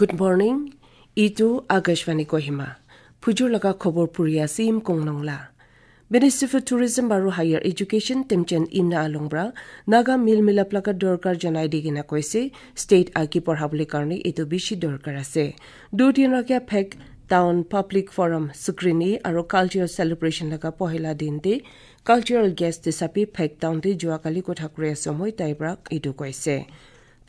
Good morning. Itu Akashvani Kohima. Phujur laga khobor puri ase im kongnongla. Minister for Tourism aru Higher Education Temjen Imna Alongbra Naga mil milap laga dorkar janai di kena koise state agi porhabole karone etu bishi dorkar ase. Dudin rakhia Phek Town Public Forum Sukrini aru cultural celebration laga pohila din te cultural guest hisape Phek Town te joakali kotha kuri সময় তাইব্ৰা etu koise.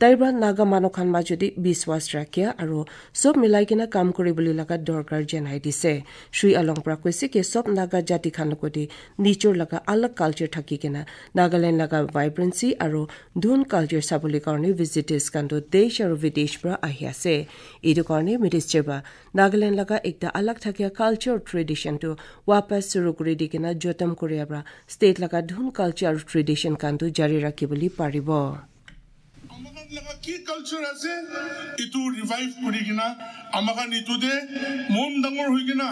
তাইব্ৰা Naga মানুহখান মাজতে বিশ্বাস ৰাখিয়া আৰু চব মিলাই কিনে কাম কৰিবলৈ লগা দৰকাৰ জনাই দিছে। শ্ৰী আলংপ্ৰা কৈছে কি চব নাগা জাতি খান লগতে নিজৰ লগা আলাগ কালচাৰ থাকি কিনে নাগালেণ্ড লগা ভাইব্ৰেঞ্চি আৰু ধুন কালচাৰ চাবলৈ কাৰণে ভিজিটাৰ্ছ খানটো দেশ আৰু বিদেশ পৰা আহি আছে। এইটো কাৰণে মিনিষ্টাৰ বা নাগালেণ্ড লগা একটা আলাগ থাকিয়া কালচাৰ ট্ৰেডিশ্যনটো ৱাপাছ চুৰু কৰি দি কিনে যতন কৰিয়াৰ পৰা ষ্টেট লগা ধুন কালচাৰ আৰু ট্ৰেডিশ্যন খানটো জাৰি ৰাখিবলৈ পাৰিব। আমাখান লগা কি কালচাৰ আছে ইটো ৰিভাইভ কৰি কিনা আমাখান ইটোতে মন ডাঙৰ হৈ কিনা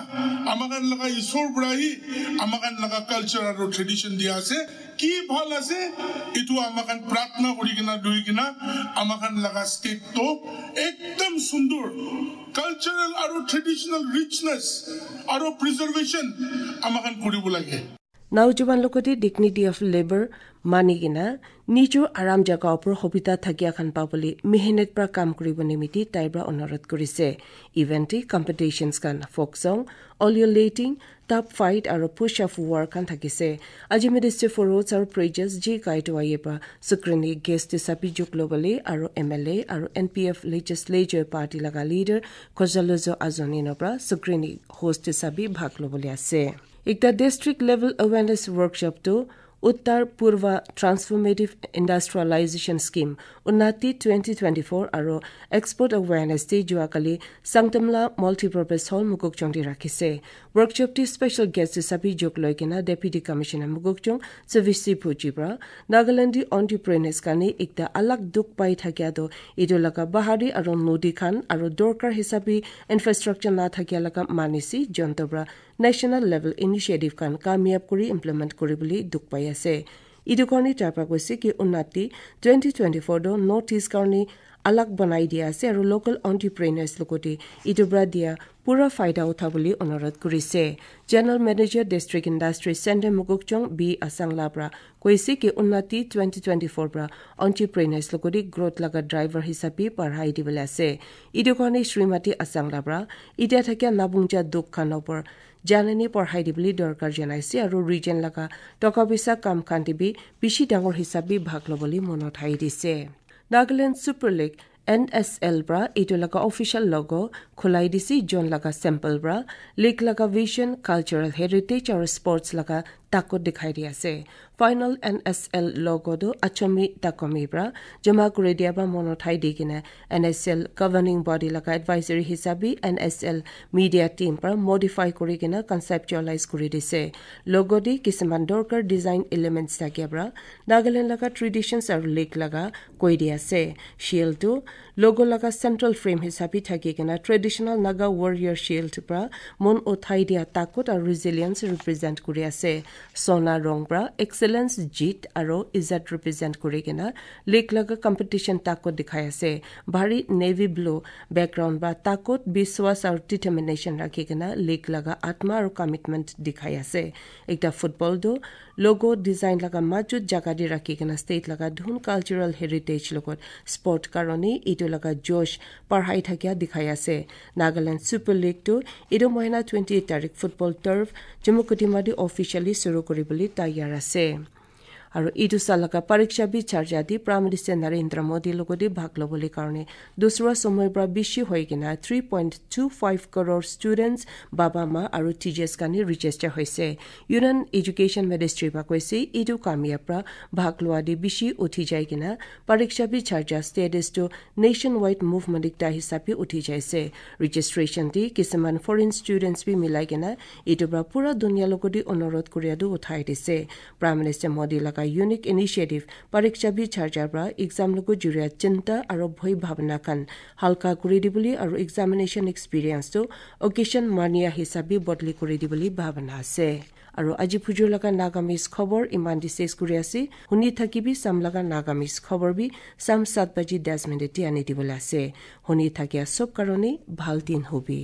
আমাখান লগা ঈশ্বৰ পৰা আহি আমাখান লগা কালচাৰ আৰু ট্ৰেডিশ্যন দিয়া আছে। কি ভাল আছে ইটো আমাখান প্ৰাৰ্থনা কৰি কিনা লৈ কিনা আমাখান লগা ষ্টেটটো একদম সুন্দৰ কালচাৰেল আৰু ট্ৰেডিশ্যনেল ৰিচনেছ আৰু প্ৰিজাৰ্ভেশ্যন আমাখান কৰিব লাগে। নওজোৱান লগতে ডিগনিটি অফ লেবাৰ মানি কিনা নিজৰ আৰাম জাগা ওপৰ সুবিধা থাকিয়া খান পাবলৈ মেহনত পৰা কাম কৰিব নিমিত্তে তাইৰ পৰা অনুৰোধ কৰিছে। ইভেণ্টে কম্পিটিশ্যনছ খান ফ'ক ছং, অলিঅ'লেটিং, টাপ ফাইট আৰু পুছ আপ ৱাৰ খান থাকিছে। আজি মিনিষ্টাৰ ফৰ ৰোডছ আৰু ব্ৰিজেছ জি কাইটোৱাইয়ে পৰা সুক্ৰণী গেষ্ট হিচাপে যোগ ল'বলৈ আৰু এম এল এ আৰু N P F legislature party লগা লিডাৰ খজালুজ আজনিনৰ পৰা সুক্ৰণী হোষ্ট হিচাপে ভাগ ল'বলৈ আছে। একটা ডিষ্ট্ৰিক্ট লেভেল এৱেৰনেছ ৱৰ্কশ্বপটো Uttar Purva transformative industrialisation scheme Unnati 2024 আৰু এক্সপৰ্ট এৱেৰনেছ ডে যোৱাকালি চাংতামলা মাল্টিপাৰ্পাছ হল মুকুকচংটি ৰাখিছে। ৱৰ্কশ্বপটি স্পেচিয়েল গেষ্ট হিচাপে যোগ লৈ কিনে ডেপুটি কমিশ্যনাৰ মুকুকচং সভিচি ফুজিৰ পৰা নাগালেণ্ডী অণ্টাৰপ্ৰেনাৰ্ছ কাৰণে একটা আলাগ দুখ পাই থাকিয়াটো এইটো লগা বাহাৰী আৰু নদী খান আৰু দৰকাৰ হিচাপে ইনফ্ৰাষ্ট্ৰাকচাৰ নাথাকিয়া লগা মানিছি যন্ত্ৰৰ পৰা নেশ্যনেল লেভেল ইনিচিয়েটিভ খান কামিয়াব কৰি ইমপ্লিমেণ্ট কৰিবলৈ দুখ পাই আছে। এইটো কাৰণে তাৰ পৰা কৈছে কি উন্নতি 2024 নৰ্থ ইষ্ট কাৰণে আলাগ বনাই দিয়া আছে আৰু লোকেল অণ্টাৰপ্ৰেনাৰ্ছ লগতে ইটোৰ পৰা দিয়া পুৰা ফাইদা উঠাবলৈ অনুৰোধ কৰিছে। General manager district industry centre Mokokchung B আছাংলাৰ পৰা কৈছে কি উন্নতি 2024 পৰা অণ্টাৰপ্ৰেনাৰ্ছ লগতে গ্ৰথ লগা ড্ৰাইভাৰ হিচাপে বঢ়াই দিবলৈ আছে। এইটো কাৰণে শ্ৰীমতী আছাংলাৰ পৰা এতিয়া থাকিয়া নাবুংজা দুখ খানৰ ওপৰত জাননী পঢ়াই দিবলৈ দৰকাৰ জনাইছে আৰু ৰিজন লগা টকা পইচা কাম খান দিবি বেছি ডাঙৰ হিচাপে ভাগ ল'বলৈ মনত হাই দিছে। Nagaland super league N S L পৰা এইটো লগা অফিচিয়েল লগ খোলাই দিছে জন লগা চেম্পল পৰা লীগ লগা ভিজন, কালচাৰেল হেৰিটেজ আৰু স্পৰ্টছ লগা তাকত দেখাই দি আছে। ফাইনেল এন এছ এল লগতো আচমি তাকমিৰ পৰা জমা কৰি দিয়া বা মনত ঠাই দি কিনে N S L governing body লগা এডভাইজৰী হিচাপে N S L media team পৰা মডিফাই কৰি কিনে কনচেপচুৱেলাইজ কৰি দিছে। লগতে কিছুমান দৰকাৰ ডিজাইন এলিমেণ্টছ থাকিয়া পৰা নাগালেণ্ড লগা ট্ৰেডিশ্যনছ আৰু লীগ লগা কৈ দি আছে। শিয়েলটো লগ লগা চেণ্ট্ৰেল ফ্ৰেম হিচাপে থাকি কিনে ট্ৰেডিশ্যনেল নাগা ৱাৰিয়াৰ শিয়েল্ড পৰা মন উঠাই দিয়া তাকত আৰু ৰিজিলিয়েঞ্চ ৰিপ্ৰেজেণ্ট কৰি আছে। সোনা ৰং পৰা এক্সেলেঞ্চ, জিত আৰু ইজাত ৰিপ্ৰেজেণ্ট কৰি কিনে লীগ লগা কম্পিটিশ্যন তাকত দেখাই আছে। ভাৰী নেভি ব্লু বেকগ্ৰাউণ্ড বা তাকত বিশ্বাস আৰু ডিটাৰমিনেশ্যন ৰাখি কিনে লীগ লগা আত্মা আৰু কমিটমেণ্ট দেখাই আছে। একটা ফুটবলটো লগো ডিজাইন লগা মাজত জাগা দি ৰাখি কিনে ষ্টেট লগা ধুন কালচাৰেল হেৰিটেজ লগত স্পৰ্ট কাৰণে এইটো লগা জোশ পঢ়াই থাকিয়া দেখাই আছে। নাগালেণ্ড ছুপাৰ লীগটো এইটো মহিনা 28 তাৰিখ ফুটবল টাৰ্ফ জম্মু কটিমাদি অফিচিয়েলি চুৰু কৰিবলৈ তৈয়াৰ আছে। আৰু এইটো চালকা পৰীক্ষা বি চাৰ্জা দি প্ৰাইম মিনিষ্টাৰ নৰেন্দ্ৰ মোদীৰ লগতে ভাগ ল'বলৈ কাৰণে দুচৰা সময়ৰ পৰা বেছি হৈ কিনে 3.25 কৰোৰ ষ্টুডেণ্টছ, বাবা মা আৰু টিচাৰ্ছ কাৰণে ৰেজিষ্টাৰ হৈছে। ইউনিয়ন এডুকেশ্যন মিনিষ্ট্ৰীৰ পৰা কৈছে এইটো কামিয়াৰ পৰা ভাগ লোৱা দি বেছি উঠি যায় কিনে পৰীক্ষা B Sharjah ষ্টেটাছটো nation wide movement একটা হিচাপে উঠি যাইছে। ৰেজিষ্ট্ৰেশ্যন দি কিছুমান ফৰেইন ষ্টুডেণ্টছ বি মিলাই কিনে এইটোৰ পৰা পুৰা দুনিয়াৰ লগতে অনুৰোধ কৰিয়াটো উঠাই দিছে। প্ৰাইম মিনিষ্টাৰ মোদী লগা ইউনিক ইনিচিয়েটিভ পৰীক্ষা বি চাৰ্জাৰ পৰা এক্সাম লগত জড়িত চিন্তা আৰু ভয় ভাৱনা খান হালকা কৰি দিবলৈ আৰু এক্সামিনেশ্যন এক্সপিৰিয়েঞ্চটো অকেশ্যন মানিয়া হিচাপে বদলি কৰি দিবলৈ ভাৱনা আছে। আৰু আজি ফুজুৰ লগা নাগামিজ খবৰ ইমান দি শেষ কৰি আছে। শুনি থাকিবি চাম লগা নাগামিজ খবৰ বি চাম 7:10 আনি দিবলৈ আছে। শুনি থাকিয়া চব কাৰণে ভাল দিন হবি।